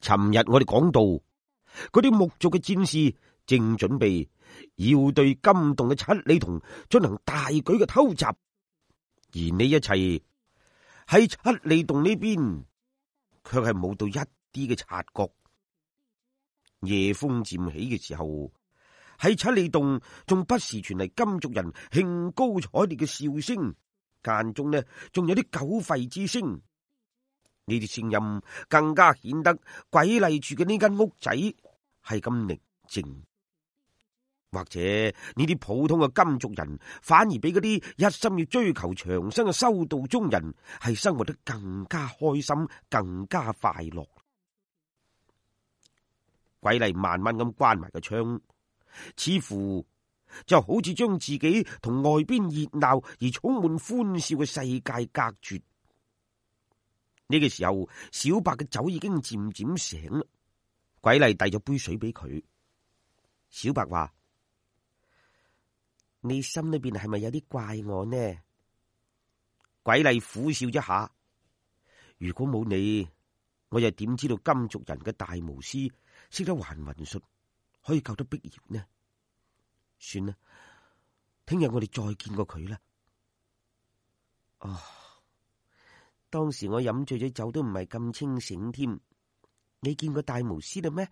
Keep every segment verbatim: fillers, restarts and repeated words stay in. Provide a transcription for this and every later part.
尋日我哋講到，嗰啲木族嘅戰士正準備要對金洞嘅七里童進行大舉嘅偷襲，而呢一切喺七里洞呢邊卻係冇到一啲嘅察覺。夜風漸起嘅時候，喺七里洞仲不時傳嚟金族人興高采烈嘅笑聲，間中呢仲有啲狗吠之聲。呢啲聲音更加顯得鬼麗住嘅呢間屋仔係咁寧靜。或者呢啲普通嘅金族人反而比嗰啲一心要追求長生嘅修道中人係生活得更加開心，更加快樂。鬼麗慢慢咁關埋個窗，似乎就好似將自己同外邊熱鬧而充滿歡笑嘅世界隔絕。呢個時候，小白嘅酒已經漸漸醒啦。鬼麗遞咗杯水俾佢，小白話：你心裏邊係咪有啲怪我呢？鬼麗苦笑一下，如果冇你，我又點知道金族人嘅大巫師識得還魂術，可以救得碧瑤呢？算啦，聽日我哋再見過佢啦。哦，當時我飲醉咗酒都唔係咁清醒添。你見過大巫師啦咩？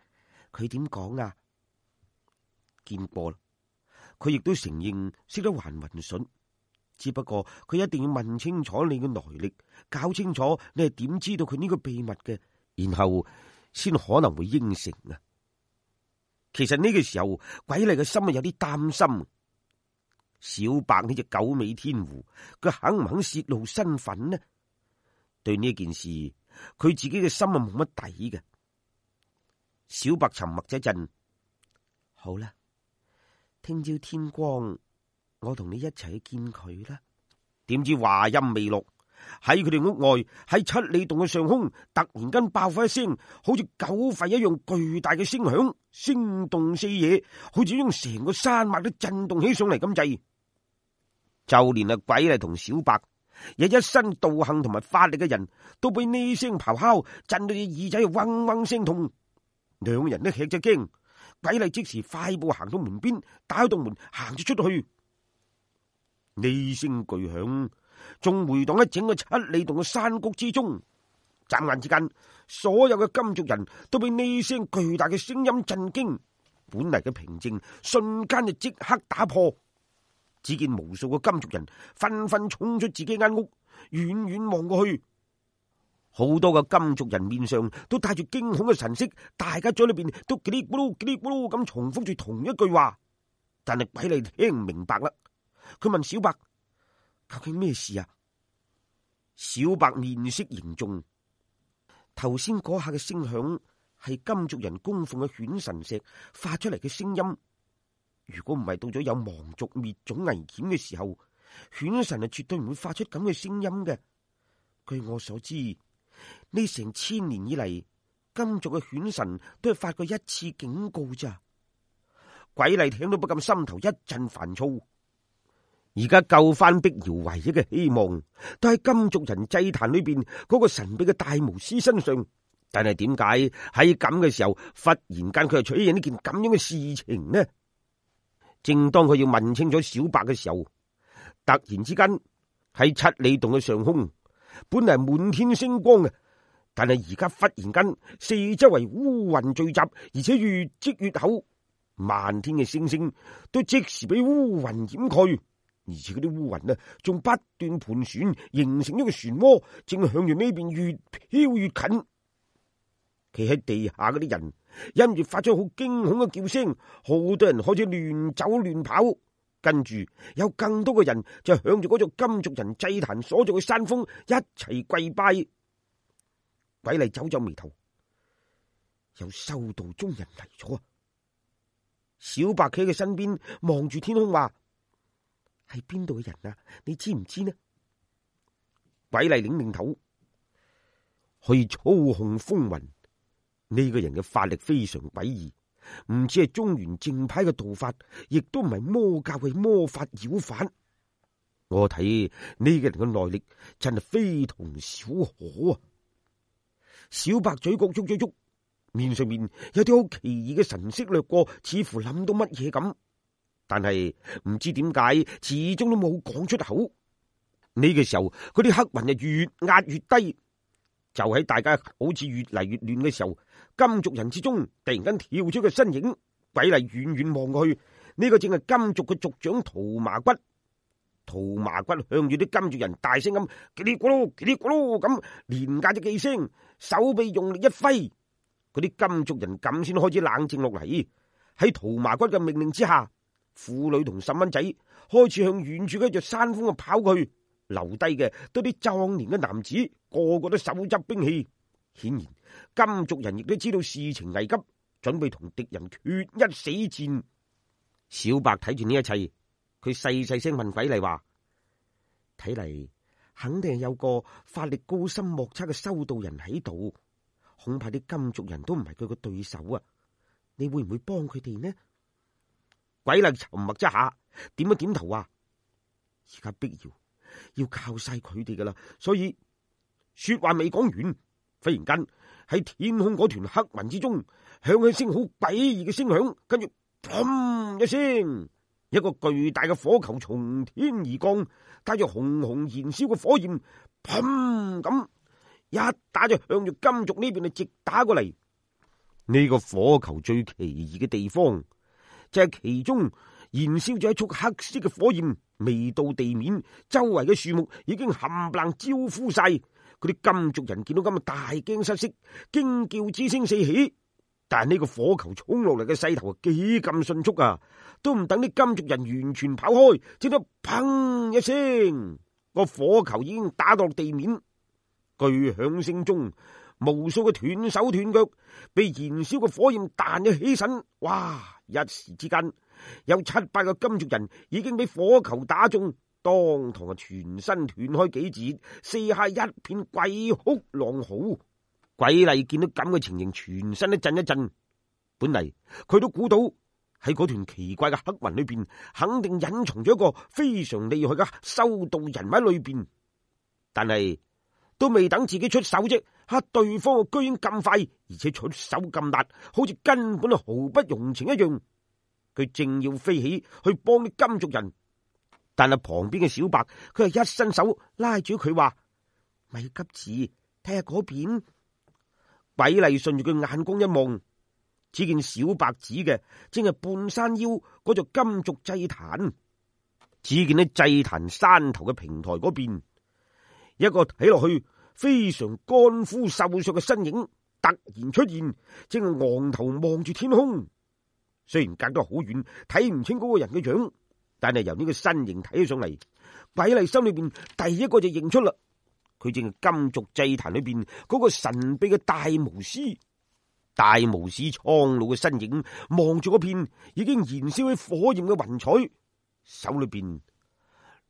佢點講啊？見過啦，佢亦都承認識得還魂術，只不過佢一定要問清楚你嘅來歷，搞清楚你係點知道佢呢個秘密嘅，然後先可能會應承啊。其實呢個時候，鬼麗嘅心啊有啲擔心。小白呢隻九尾天狐，佢肯唔肯泄露身份呢？對呢件事，佢自己嘅心啊冇乜底嘅。小白沉默咗一陣，好啦，聽朝天光，我同你一齊去見佢啦。點知話音未落，喺佢哋屋外，喺七里洞嘅上空，突然間爆發一聲好似狗吠一樣巨大嘅聲響，聲動四野，好似將成個山脈都震動起上嚟咁滯。就連啊鬼麗同小白，有一身道行同埋法力嘅人都俾呢聲咆哮震到隻耳仔嗡嗡聲痛。兩個人都吃咗驚，鬼麗即時快步行到門邊，打開道門行咗出去。呢聲巨響仲回蕩喺整個七里洞嘅山谷之中，眨眼之間，所有嘅金族人都被呢聲巨大嘅聲音震驚，本嚟嘅平靜瞬間就即刻打破。只見無數個金族人紛紛衝出自己間屋，遠遠望過去，好多個金族人面上都帶住驚恐嘅神色，大家嘴裏邊都嘰哩咕嚕嘰哩咕嚕咁重複住同一句話，但係鬼麗聽唔明白啦。佢問小白：究竟咩事啊？小白面色凝重，頭先嗰下嘅聲響係金族人供奉嘅犬神石發出嚟嘅聲音。如果唔係到咗有亡族滅種危險嘅時候，犬神係絕對唔會發出咁嘅聲音嘅。據我所知，呢成千年以嚟，金族嘅犬神都係發過一次警告咋。鬼麗聽到不禁心頭一陣煩躁。而家救翻碧瑤唯一嘅希望，都喺金族人祭壇裏邊嗰個神秘嘅大巫師身上。但係點解喺咁嘅時候，忽然間佢又出現呢件咁樣嘅事情呢？正當佢要問清楚小白嘅時候，突然之間喺七里洞嘅上空，本嚟滿天星光嘅，但係而家忽然間四周圍烏雲聚集，而且越積越厚，漫天嘅星星都即時俾烏雲掩蓋，而且嗰啲烏雲啊，仲不斷盤旋，形成一個漩渦，正向住呢邊越飄越近。企喺地下嗰啲人因住發出好驚恐嘅叫聲，好多人開始亂走亂跑，跟住有更多嘅人就向住嗰座金族人祭壇所在嘅山峰一齊跪拜。鬼麗皺皺眉頭，有修道中人嚟咗。小白企喺佢身邊望住天空話：係邊度嘅人啊？你知唔知呢？鬼麗擰擰頭，可以操控風雲。呢個人嘅法力非常詭異，唔止係中原正派嘅道法，亦都唔係魔教嘅魔法妖法。我睇呢個人嘅內力真係非同小可啊！小白嘴角喐咗喐，面上面有啲好奇異嘅神色掠過，似乎諗到乜嘢咁，但係唔知點解始終都冇講出口。呢個時候，嗰啲黑雲就越壓越低，就喺大家好似越嚟越亂嘅時候，金族人之中突然間跳出個身影。鬼嚟遠遠望過去，呢個正係金族嘅族長桃麻骨。桃麻骨向住啲金族人大聲咁嘰哩咕嚕嘰哩咕嚕咁連嗌咗幾聲，手臂用力一揮，嗰啲金族人咁先開始冷靜落嚟。喺桃麻骨嘅命令之下，婦女同細蚊仔開始向遠處嘅一座山峰啊跑過去，留低嘅都啲壯年嘅男子，個個都手執兵器。顯然金族人亦都知道事情危急，準備同敵人決一死戰。小白睇住呢一切，佢細細聲問鬼麗話：睇嚟肯定係有個法力高深莫測嘅修道人喺度，恐怕啲金族人都唔係佢個對手啊！你會唔會幫佢哋呢？鬼麗沉默一下，點一點頭話：而家必要要靠晒佢哋噶啦。所以說話未講完，忽然間喺天空嗰團黑雲之中響起聲好詭異嘅聲響，跟住砰一聲，一個巨大嘅火球從天而降，帶住紅紅燃燒嘅火焰，砰咁一打就向住金族呢邊就直打過嚟。呢、這個火球最奇異嘅地方就係、是、其中燃燒咗一束黑色嘅火焰，未到地面，周圍嘅樹木已經冚唪唥焦枯晒。嗰啲金族人見到咁啊，大驚失色，驚叫之聲四起。但係呢個火球衝落嚟嘅勢頭啊，幾咁迅速啊！都唔等啲金族人完全跑開，只得砰一聲，個火球已經打到地面。巨響聲中，無數嘅斷手斷腳，被燃燒嘅火焰彈咗起身。哇！一時之間，有七八個金族人已經俾火球打中，當堂啊全身斷開幾截，四下一片鬼哭狼嚎。鬼麗見到咁嘅情形，全身都震一震。本嚟佢都估到喺嗰團奇怪嘅黑雲裏邊，肯定隱藏咗一個非常厲害嘅修道人喺裏邊。但係都未等自己出手啫，吓對方居然咁快，而且出手咁辣，好似根本毫不容情一樣。佢正要飛起去幫啲金族人，但係旁邊嘅小白，佢係一伸手拉住佢話：咪急住睇下嗰邊。鬼麗順住佢眼光一望，只見小白指嘅正係半山腰嗰座金族祭壇。只見喺祭壇山頭嘅平台嗰邊，一個睇落去非常乾枯瘦削嘅身影突然出現，正係昂頭望住天空。雖然隔得好遠，睇唔清嗰個人嘅樣，但係由呢個身形睇起上嚟，鬼麗心裏邊第一個就認出啦。佢正係金族祭壇裏邊嗰個神秘嘅大巫師。大巫師蒼老嘅身影望住嗰片已經燃燒起火焰嘅雲彩，手裏邊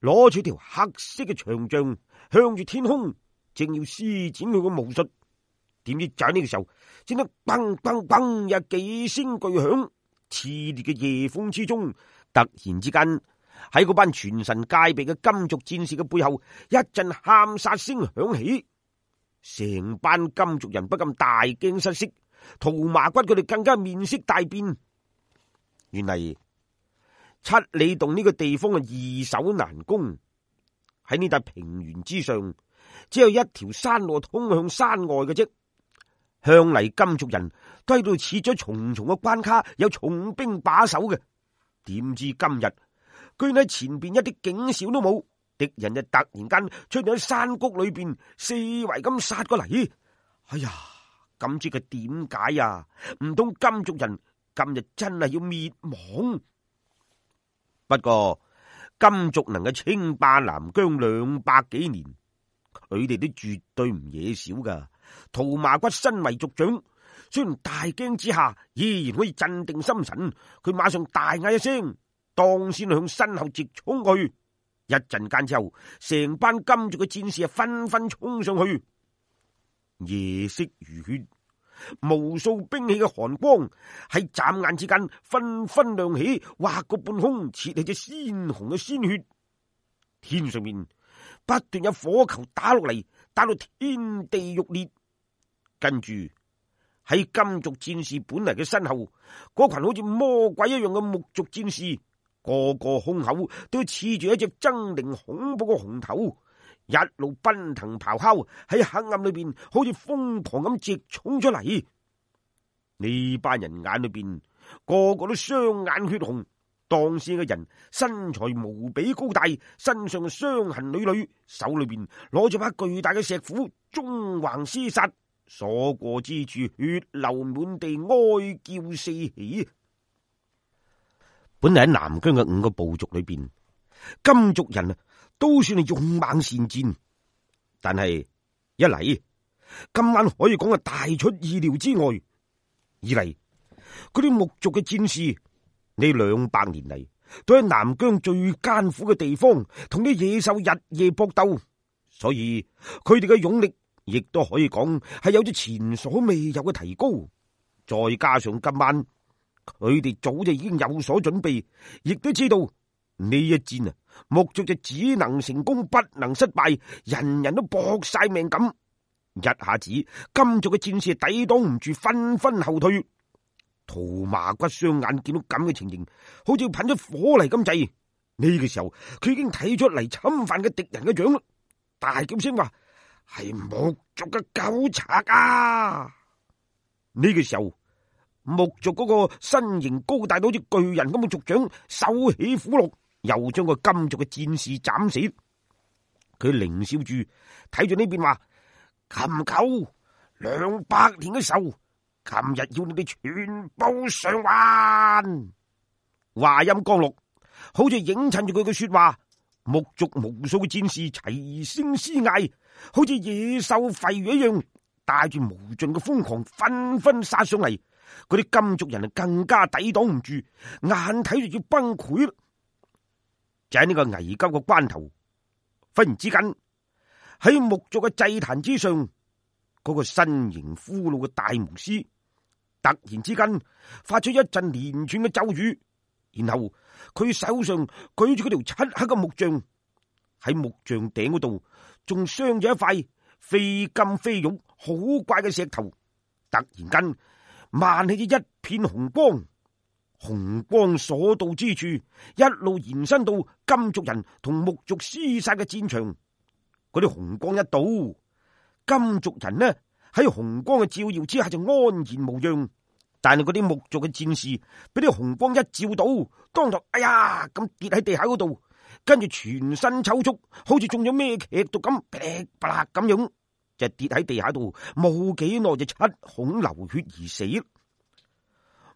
攞住條黑色嘅長杖，向住天空正要施展佢個巫術。點知就喺呢個時候，只得砰砰砰有幾聲巨響，熾烈嘅夜風之中，突然之間喺嗰班全神戒備嘅金族戰士嘅背後，一陣喊殺聲響起，成班金族人不禁大驚失色，桃麻骨佢哋更加面色大變。原嚟七里洞呢個地方嘅易守難攻，喺呢笪平原之上，只有一條山路通向山外嘅啫。向嚟金族人都喺度設咗重重嘅關卡，有重兵把守嘅。點知今日居然喺前邊一啲警兆都冇，敵人就突然間出現喺山谷裏邊，四圍咁殺過嚟。哎呀，咁知佢點解呀？唔通金族人今日真係要滅亡？不過金族能夠稱霸南疆兩百幾年，佢哋都絕對唔惹少噶。桃麻骨身為族長，雖然大驚之下，依然可以鎮定心神。佢馬上大嗌一聲，當先向身後直衝去。一陣間之後，成班金族嘅戰士啊，紛紛衝上去。夜色如血，無數兵器嘅寒光喺眨眼之間紛紛亮起，劃過半空，切起隻鮮紅嘅鮮血。天上面不斷有火球打落嚟，打到天地欲裂。跟住喺金族戰士本嚟嘅身後，嗰群好似魔鬼一樣嘅木族戰士，個個胸口都刺住一隻猙獰恐怖嘅紅頭，一路奔騰咆哮，喺黑暗裏邊好似瘋狂咁直衝出嚟。呢班人眼裏邊個個都雙眼血紅，當時嘅人身材無比高大，身上傷痕累累，手裏邊攞住把巨大嘅石斧，縱橫廝殺，所過之處血流滿地，哀叫四起。本嚟喺南疆嘅五個部族裏邊，金族人啊都算係勇猛善戰，但係一嚟今晚可以講係大出意料之外，二嚟嗰啲木族嘅戰士呢兩百年嚟都喺南疆最艱苦嘅地方同啲野獸日夜搏鬥，所以佢哋嘅勇力亦都可以講係有咗前所未有嘅提高。再加上今晚佢哋早就已經有所準備，亦都知道呢一戰啊，木族就只能成功不能失敗，人人都搏晒命咁。一下子金族嘅戰士抵擋唔住，紛紛後退。屠麻骨雙眼見到咁嘅情形，好似噴咗火嚟咁滯。呢個時候佢已經睇出嚟侵犯嘅敵人嘅樣，大叫聲話：係木族嘅狗賊啊！呢個時候木族嗰個身形高大到好似巨人咁嘅族長手起斧落，又將個金族嘅戰士斬死。佢獰笑住睇住呢邊話：禽狗兩百年嘅仇，今日要你哋全部償還。話音剛落，好似映襯住佢嘅說話，木族無數嘅戰士齊聲嘶嗌，好似野獸吠魚一樣，帶住無盡嘅瘋狂紛紛殺上嚟。嗰啲金族人啊更加抵擋唔住，眼睇住要崩潰啦。就喺呢個危急嘅關頭，忽然之間喺木族嘅祭壇之上，嗰、那個身形枯老嘅大巫師突然之間發出一陣連串嘅咒語，然後佢手上舉住嗰條漆黑嘅木杖，喺木杖頂嗰度仲鑲咗一塊非金非玉好怪嘅石頭，突然間漫起咗一片紅光，紅光所到之處一路延伸到金族人同木族廝殺嘅戰場。嗰啲紅光一到，金族人呢喺紅光嘅照耀之下就安然無恙，但係嗰啲木族嘅戰士俾啲紅光一照到，當堂哎呀咁跌喺地下嗰度，跟住全身抽搐，好似中咗咩劇毒咁噼里啪啦咁樣，就跌喺地下度，冇幾耐就七孔流血而死。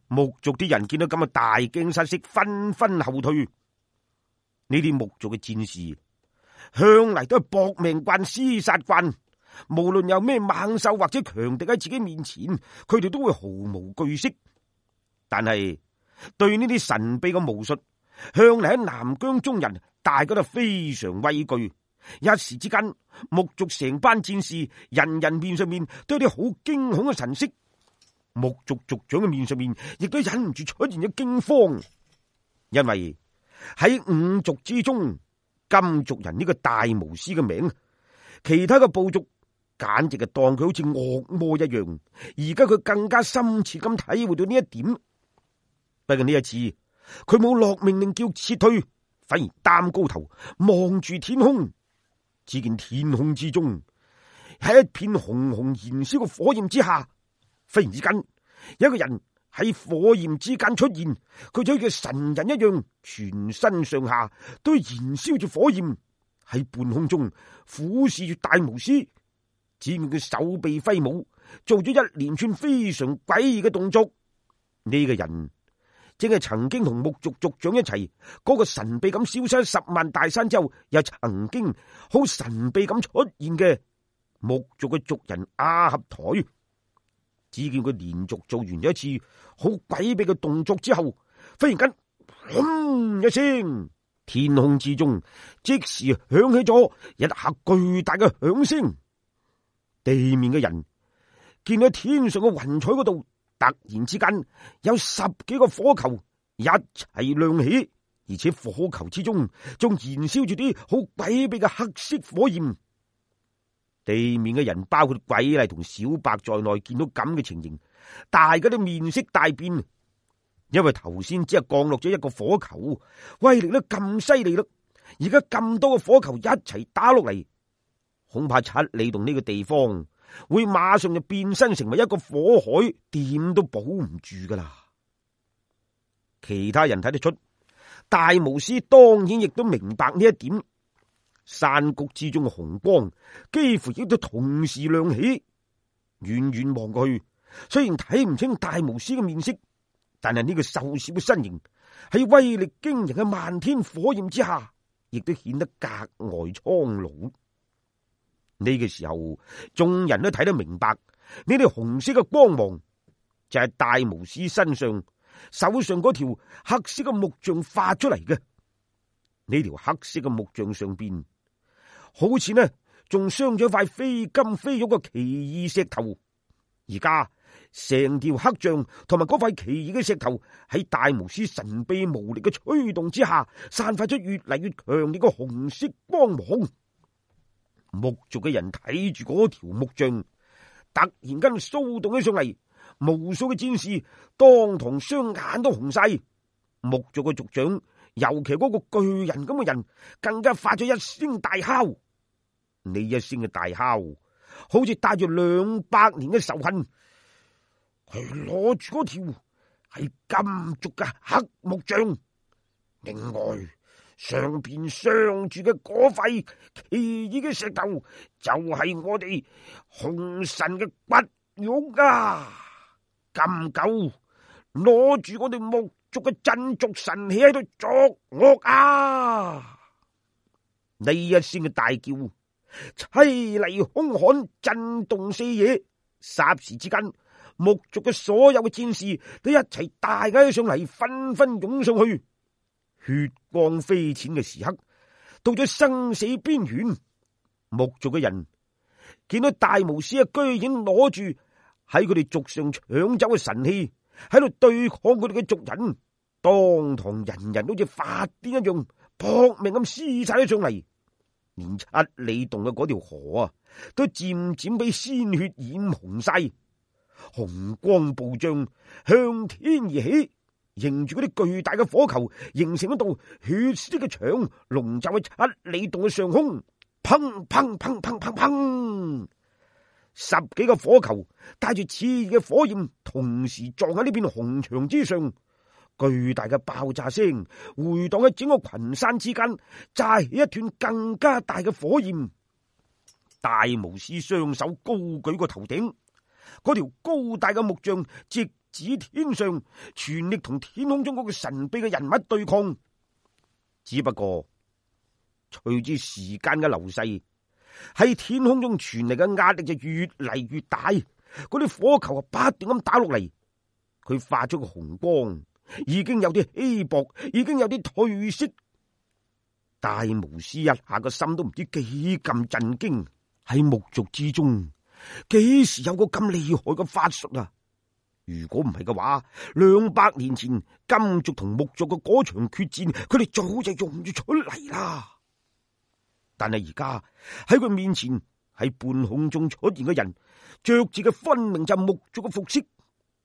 木族啲人見到咁嘅大驚失色，紛紛後退。呢啲木族嘅戰士向嚟都係搏命慣、廝殺慣，無論有咩猛獸或者強敵喺自己面前，佢哋都會毫無懼色。但係對呢啲神秘嘅巫術，向嚟喺南疆中人大家都非常畏懼。一時之間，木族成班戰士人人面上面都有啲好驚恐嘅神色，木族族長嘅面上面亦都忍唔住出現咗驚慌，因為喺五族之中，金族人呢個大巫師嘅名，其他嘅部族簡直係當佢好似惡魔一樣。而家佢更加深切咁體會到呢一點。不過呢一次，佢冇落命令叫撤退，反而擔高頭望住天空。只見天空之中喺一片紅紅燃燒嘅火焰之下，忽然之間有一個人喺火焰之間出現，佢就好似神人一樣，全身上下都燃燒住火焰，喺半空中俯視住大巫師。只見佢手臂揮舞，做咗一連串非常詭異嘅動作。呢、這個人正係曾經同木族族長一齊嗰、那個神秘咁消失喺十萬大山之後，又曾經好神秘咁出現嘅木族嘅族人阿合台。只見佢連續做完咗一次好詭秘嘅動作之後，忽然間轟一聲，天空之中即時響起咗一下巨大嘅響聲。地面嘅人見到天上嘅雲彩嗰度，突然之間有十幾個火球一齊亮起，而且火球之中仲燃燒住啲好詭秘嘅黑色火焰。地面嘅人包括鬼麗同小白在內，見到咁嘅情形，大家都面色大變，因為頭先只係降落咗一個火球，威力都咁犀利啦，而家咁多個火球一齊打落嚟，恐怕七里洞呢個地方會馬上就變身成為一個火海，點都保唔住噶啦。其他人睇得出，大巫師當然亦都明白呢一點。山谷之中嘅紅光幾乎亦都同時亮起，遠遠望過去，雖然睇唔清大巫師嘅面色，但係呢個瘦小嘅身形喺威力驚人嘅漫天火焰之下，亦都顯得格外蒼老。呢個時候，眾人都睇得明白，呢啲紅色嘅光芒就係大巫師身上手上嗰條黑色嘅木杖發出嚟嘅。呢條黑色嘅木杖上邊，好似呢仲鑲咗一塊非金非玉嘅奇異石頭。而家成條黑杖同埋嗰塊奇異嘅石頭喺大巫師神秘無力嘅吹動之下，散發出越嚟越強烈嘅紅色光芒。木族嘅人睇住嗰條木杖，突然間騷動起上嚟，無數嘅戰士當堂雙眼都紅晒。木族嘅族長，尤其嗰個巨人咁嘅人，更加發咗一聲大哮。呢一聲嘅大哮，好似帶住兩百年嘅仇恨。佢攞住嗰條係金族嘅黑木杖，另外上邊鑲住嘅嗰塊奇異嘅石頭，就係我哋紅神嘅骨肉啊！咁狗攞住我哋木族嘅鎮族神器喺度作惡啊！呢一聲嘅大叫，淒厲凶悍，震動四野。霎時之間，木族嘅所有嘅戰士都一齊大嗌起上嚟，紛紛湧上去。血光飛濺嘅時刻，到咗生死邊緣。木族嘅人見到大巫師啊，居然攞住喺佢哋族上搶走嘅神器，喺度對抗佢哋嘅族人，當堂人人好似發癲一樣，搏命咁廝殺咗上嚟。連七里洞嘅嗰條河啊，都漸漸俾鮮血染紅晒，紅光暴漲，向天而起，迎住嗰啲巨大嘅火球，形成一道血色嘅牆，籠罩喺七里洞嘅上空。砰砰砰砰砰砰，十幾個火球帶住熾熱嘅火焰，同時撞喺呢片紅牆之上。巨大嘅爆炸聲回蕩喺整個群山之間，炸起一團更加大嘅火焰。大巫師雙手高舉過頭頂，嗰條高大嘅木杖直指天上，全力同天空中嗰個神秘嘅人物對抗。只不過隨住時間嘅流逝，喺天空中傳嚟嘅壓力就越嚟越大，嗰啲火球啊不斷咁打落嚟，佢發出個紅光已經有啲稀薄，已經有啲褪色。大巫師一下個心都唔知幾咁震驚，喺木族之中幾時有個咁厲害嘅法術啊？如果唔係嘅話，兩百年前金族同木族嘅嗰場決戰，佢哋早就用咗出嚟啦。但係而家喺佢面前，喺半空中出現嘅人，着住嘅分明就係木族嘅服飾。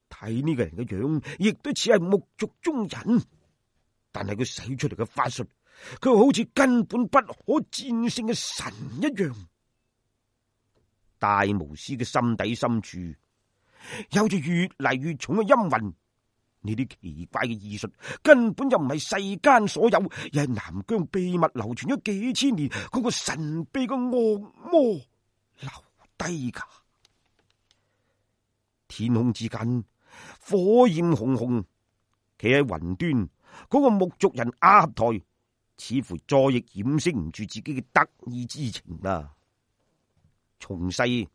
睇呢個人嘅樣，亦都似係木族中人，但係佢使出嚟嘅法術，佢好似根本不可戰勝嘅神一樣。大巫師嘅心底深處有住越嚟越重嘅陰魂，呢啲奇怪嘅異術根本就唔係世間所有，而係南疆秘密流傳咗幾千年嗰個神秘嘅惡魔留低噶。天空之間火焰紅紅，企喺雲端嗰個木族人阿合台，似乎再亦掩飾唔住自己嘅得意之情啦。從細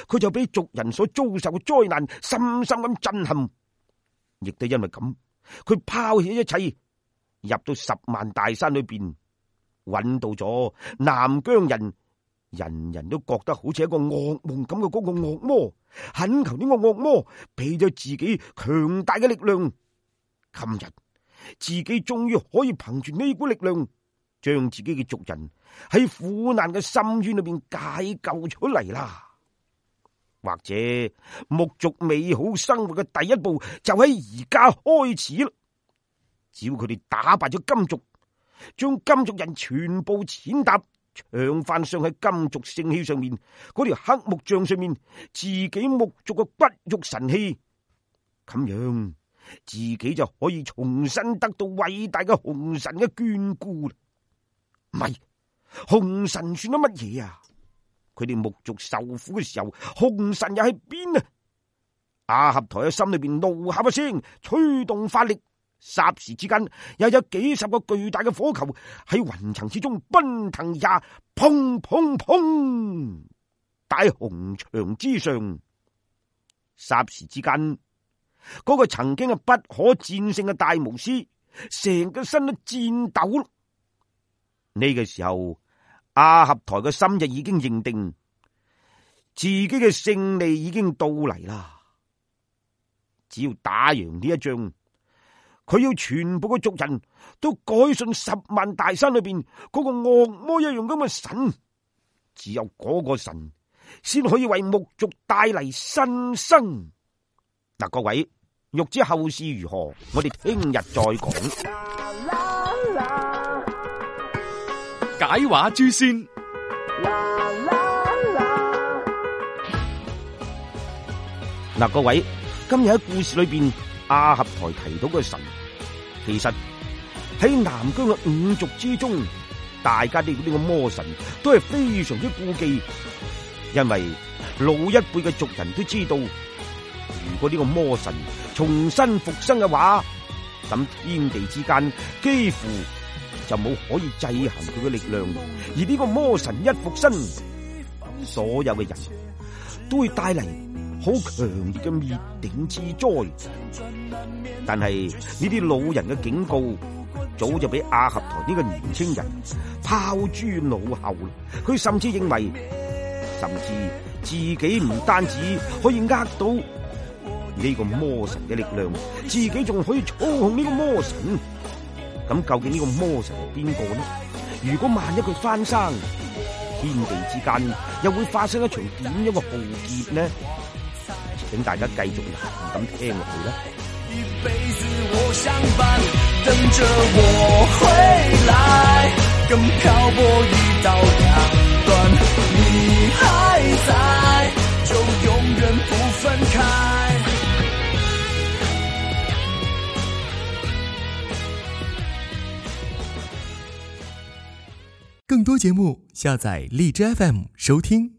佢就俾族人所遭受嘅災難深深咁震撼，亦都因為咁，佢拋棄一切，入到十萬大山裏邊，揾到咗南疆人，人人都覺得好似一個噩夢咁嘅嗰個惡魔，懇求呢個惡魔俾咗自己強大嘅力量。今日自己終於可以憑住呢股力量，將自己嘅族人喺苦難嘅深淵裏邊解救出嚟啦。或者木族美好生活嘅第一步就喺而家開始啦。只要佢哋打敗咗金族，將金族人全部踐踏，長翻上喺金族聖器上面嗰條黑木像上面自己木族嘅骨肉神器，咁樣自己就可以重新得到偉大嘅紅神嘅眷顧啦。唔係，紅神算得乜嘢啊？佢哋木族受苦嘅時候，紅神又喺邊啊？阿合台喺心裏邊怒喊一聲，催動法力，霎時之間又有幾十個巨大嘅火球喺雲層之中奔騰呀，砰砰砰！大紅牆之上，霎時之間，嗰個曾經係不可戰勝嘅大巫師，成個身都顫抖。呢個時候，阿合台嘅心就已經認定自己嘅勝利已經到嚟啦。只要打贏呢一仗，佢要全部嘅族人都改信十萬大山裏邊嗰個惡魔一樣咁嘅神，只有嗰個神先可以為木族帶嚟新生。嗱，各位，欲知後事如何，我哋聽日再講。解話諸仙。嗱，各位，今日喺故事裏邊，阿合台提到嘅神，其實喺南疆嘅五族之中，大家對呢個魔神都係非常之顧忌，因為老一輩嘅族人都知道，如果呢個魔神重新復生嘅話，咁天地之間幾乎就冇可以制衡佢嘅力量，而呢個魔神一復生，所有嘅人都會帶嚟好強烈嘅滅頂之災。但係呢啲老人嘅警告，早就俾阿合台呢個年輕人拋諸腦後啦。佢甚至認為，甚至自己唔單止可以呃到呢個魔神嘅力量，自己仲可以操控呢個魔神。咁究竟呢個魔神係邊個呢？如果萬一佢翻生，天地之間又會發生一場點樣嘅浩劫呢？請大家繼續留意咁聽落去啦。一輩子我相伴，等着我回來，跟漂泊一刀兩斷，你還在，就永遠不分開。更多節目，下載荔枝 F M 收聽。